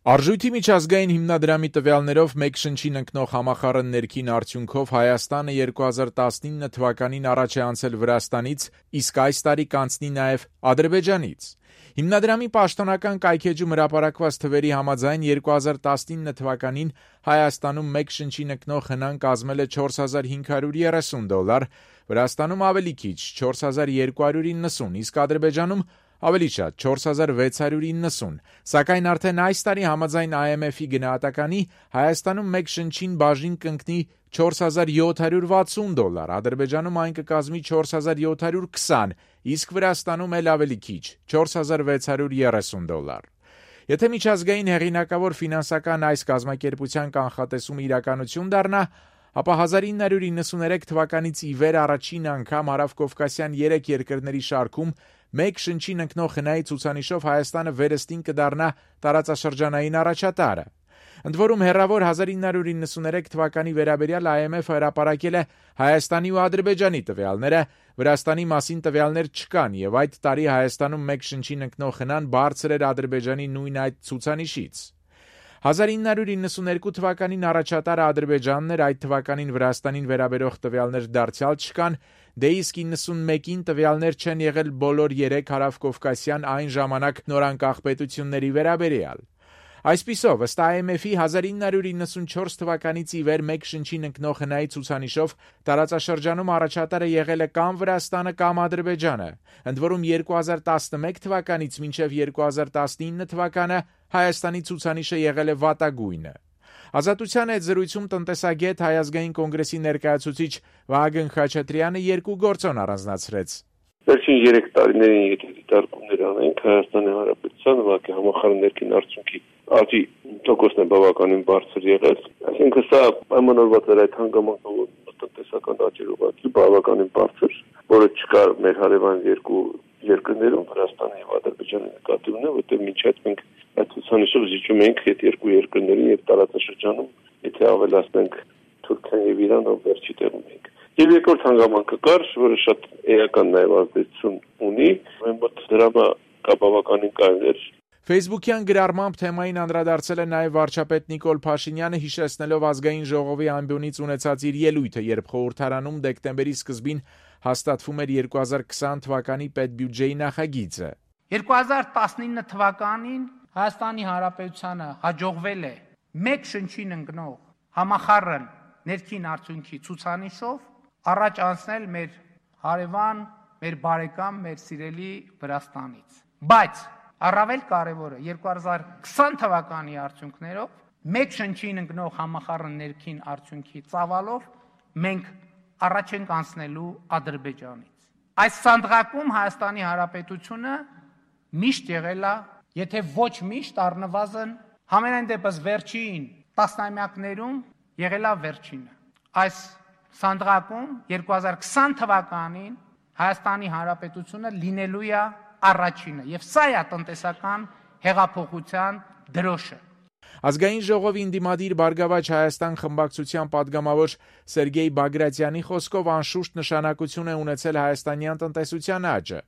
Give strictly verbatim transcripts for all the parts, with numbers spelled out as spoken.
Արժույթի միջազգային հիմնադրամի տվյալներով մեկ շնչին ընկնող համախառն ներքին արդյունքով Հայաստանը երկու հազար տասնինը թվականին առաջ է անցել Վրաստանից, իսկ այս տարի կանցնի նաև Ադրբեջանից։ Հիմնադրամի պաշտոնական կայքէջում հրապարակված թվերի համաձայն երկու հազար տասնինը թվականին Հայաստանում մեկ շնչին ընկնող հնան կազմել է չորս հազար հինգ հարյուր երեսուն դոլար, Վրաստանում ավելի քիչ չորս հազար երկու հարյուր իննսուն, իսկ Ադրբեջանում ավելի շատ չորս հազար վեց հարյուր իննսուն, սակայն արդեն այս տարի համաձայն Այ Էմ Էֆ-ի գնահատականի Հայաստանում մեկ շնչին բաժին կընկնի չորս հազար յոթ հարյուր վաթսուն դոլար, Ադրբեջանում այն կկազմի չորս հազար յոթ հարյուր քսան, իսկ Վրաստանում էլ ավելի քիչ չորս հազար վեց հարյուր երեսուն դոլար։ Եթե միջազգային հեղինակավոր ֆինանսական այս կազմակերպության կանխատեսումը իրականություն դառնա, ապա հազար ինը հարյուր իննսուներեք թվականից ի վեր առաջին անգամ հարավկովկասյան երեք երկրների շարքում մեկ շնչին ընկնող հնայի ցուցանիշով Հայաստանը վերստին կդառնա տարածաշրջանային առաջատարը։ Ընդ որում հեռավոր հազար ինը հարյուր իննսուներեք թվականի վերաբերյալ Այ Էմ Էֆ-ը հրապարակել է Հայաստանի ու Ադրբեջանի տվյալները, Վրաստանի մասին տվյալներ չկան, եւ այդ տարի Հայաստանում մեկ շնչին ընկնող հնան բարձր էր Ադրբեջանի նույն այդ ցուցանիշից։ հազար ինը հարյուր իննսուներկու թվականին առաջատարը Ադրբեջանն էր, այդ թվականին Վրաստանին վերաբերող տվյալներ դարձյալ չկան, դե իսկ իննսունմեկին տվյալներ չեն եղել բոլոր երեք հարավկովկասյան այն ժամանակ նորանկախ պետությունների վերաբերյալ։ Այսպիսով, ըստ Այ Էմ Էֆ-ի հազար ինը հարյուր իննսունչորս թվականից ի վեր մեկ շնչին ընկնող հնայի ցուցանիշով տարածաշրջանում առաջատարը եղել է կամ Վրաստանը, կամ Ադրբեջանը, ընդ որում երկու հազար տասնմեկ թվականից մինչև երկու հազար տասնինը թվականը Հայաստանի ցուցանիշը եղել է վատագույնը։ Ազատության հետ զրույցում տնտեսագետ Հայ ազգային կոնգրեսի ներկայացուցիչ Վահագն Խաչատրյանը երկու գործոն առանձնացրեց։ Վերջին երեք տարիներին եթե դիտարկումներ անենք Հայաստանի Հանրապետության ուղղակի համախառն ներքին արդյունքի աճի տոկոսն է բավականին բարձր եղել, այսինքն սա պայմանավորված էր այդ հանգամանքով տնտեսական աճի ուղղակի բավականին բարձր, որը չկար մեր հարևան երկու երկրներում Վրաստանի եւ Ադրբեջանի նկատի ունեն, որտեղ մինչ այդ մենք այդ ցուցանիշով զիջում ենք այդ երկու երկրներին եւ տարածաշրջանում, եթե ավելացնենք Թուրքիան եւ Իրանը, վերջի տեղում ենք։ Եվ երկրորդ հանգամանքը կար, որը շատ էական նաեւ ազդեցություն ունի, մենք մոտ դրամա կա բավականին կարևոր։ Facebook-յան գրառմամբ թեմային անդրադարձել է նաև վարչապետ Նիկոլ Փաշինյանը, հիշեցնելով ազգային ժողովի ամբիոնից ունեցած իր ելույթը, երբ խորհրդարանում դեկտեմբերի սկզբին հաստատվում էր երկու հազար քսան թվականի պետբյուջեի նախագիծը։ երկու հազար տասնինը թվականին Հայաստանի Հանրապետությանը հաջողվել է մեկ շնչին ընկնող համախառն ներքին արդյունքի ցուցանիշով առաջ անցնել մեր հարևան, մեր բարեկամ, մեր սիրելի Վրաստանից։ Բայց առավել կարևորը երկու հազար քսան թվականի արդյունքներով մեկ շնչին ընկնող համախառն ներքին արդյունքի ծավալով մենք առաջ ենք անցնելու Ադրբեջանից։ Այս սանդղակում Հայաստանի Հանրապետությունը միշտ եղել է, եթե ոչ միշտ, առնվազն համենայն դեպս վերջին տասնամյակներում եղել է վերջինը։ Այս սանդղակում երկու հազար քսան թվականին Հայաստանի Հանրապետությունը լինելու է առաջինը, եւ սա է տնտեսական հեղափոխության դրոշը։ Ազգային ժողովի ընդդիմադիր Բարգավաճ Հայաստան խմբակցության падգամավոր Սերգեյ Բագրատյանի խոսքով անշուշտ նշանակություն է ունեցել հայաստանյան տնտեսության աճը։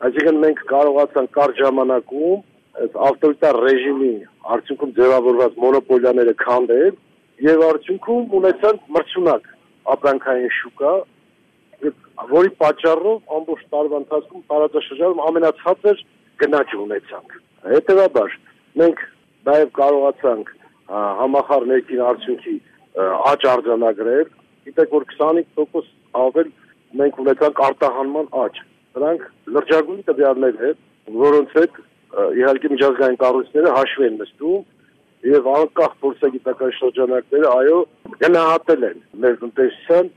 Այսինքն մենք կարողացանք կարճ ժամանակում այս ավտորիտար ռեժիմի արդյունքում ձևավորված մոնոպոլիաները քանդել եւ արդյունքում ունեցանք մրցունակ ապրանքային շուկա, որի պատճառով ամբողջ տարվա ընթացքում տարածաշրջանում ամենացածր գնաճ ունեցանք։ Հետևաբար մենք նաև կարողացանք համախառն ներքին արդյունքի աճ արձանագրել, գիտեք որ քսանհինգ տոկոս ավել մենք ունեցանք արտահանման աճ։ Դրանք լրջագույն տվյալներ են, որոնց հետ իհարկե միջազգային կառույցները հաշվի են նստում եւ անկախ փորձագիտական շրջանակները այո գնահատել են մեր տնտեսության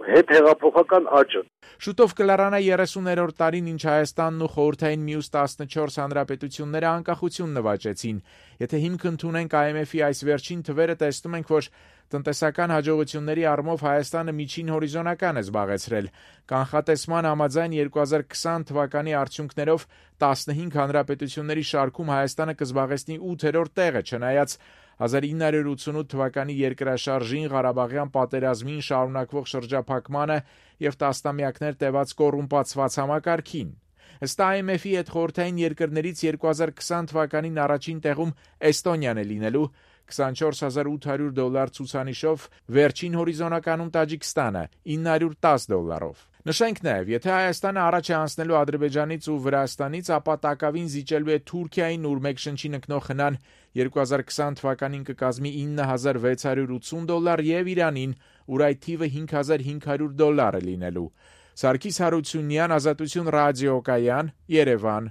հետ հեղափոխական աճը։ Շուտով կլարանա երեսուներորդ տարին, ինչ Հայաստանն ու խորհրդային մյուս տասնչորս հանրապետությունները անկախություն նվաճեցին։ Եթե հիմք ընդունենք Այ Էմ Էֆ-ի այս վերջին թվերը, տեսնում ենք, որ տնտեսական հաջողությունների առումով Հայաստանը միջին հորիզոնական է զբաղեցրել։ Կանխատեսման համաձայն երկու հազար քսան թվականի արդյունքներով տասնհինգ հանրապետությունների շարքում Հայաստանը կզբաղեցնի ութերորդ տեղը, չնայած հազար ինը հարյուր ութսունութ թվականի երկրաշարժին, Ղարաբաղյան պատերազմին, շարունակվող շրջափակմանը եւ տասնամյակներ տևած կոռումպացված համակարգին։ Ըստ I M F-ի հետ խորհրդային երկրներից երկու հազար քսան թվականին առաջին տեղում Էստոնիան է լինելու քսանչորս հազար ութ հարյուր դոլար ցուցանիշով, վերջին հորիզոնականում Տաջիկստանը ինը հարյուր տասը դոլարով։ Նշենք նաև, եթե Հայաստանը առաջ է անցնելու Ադրբեջանից ու Վրաստանից, ապա տակավին զիջելու է Թուրքիային, ուր մեկ շնչին ընկնող խնան երկու հազար քսան թվականին կկազմի ինը հազար վեց հարյուր ութսուն դոլար եւ Իրանին, ուր այդ թիվը հինգ հազար հինգ հարյուր դոլար է լինելու։ Սարգիս Հարությունյան, Ազատություն ռադիոկայան, Երևան։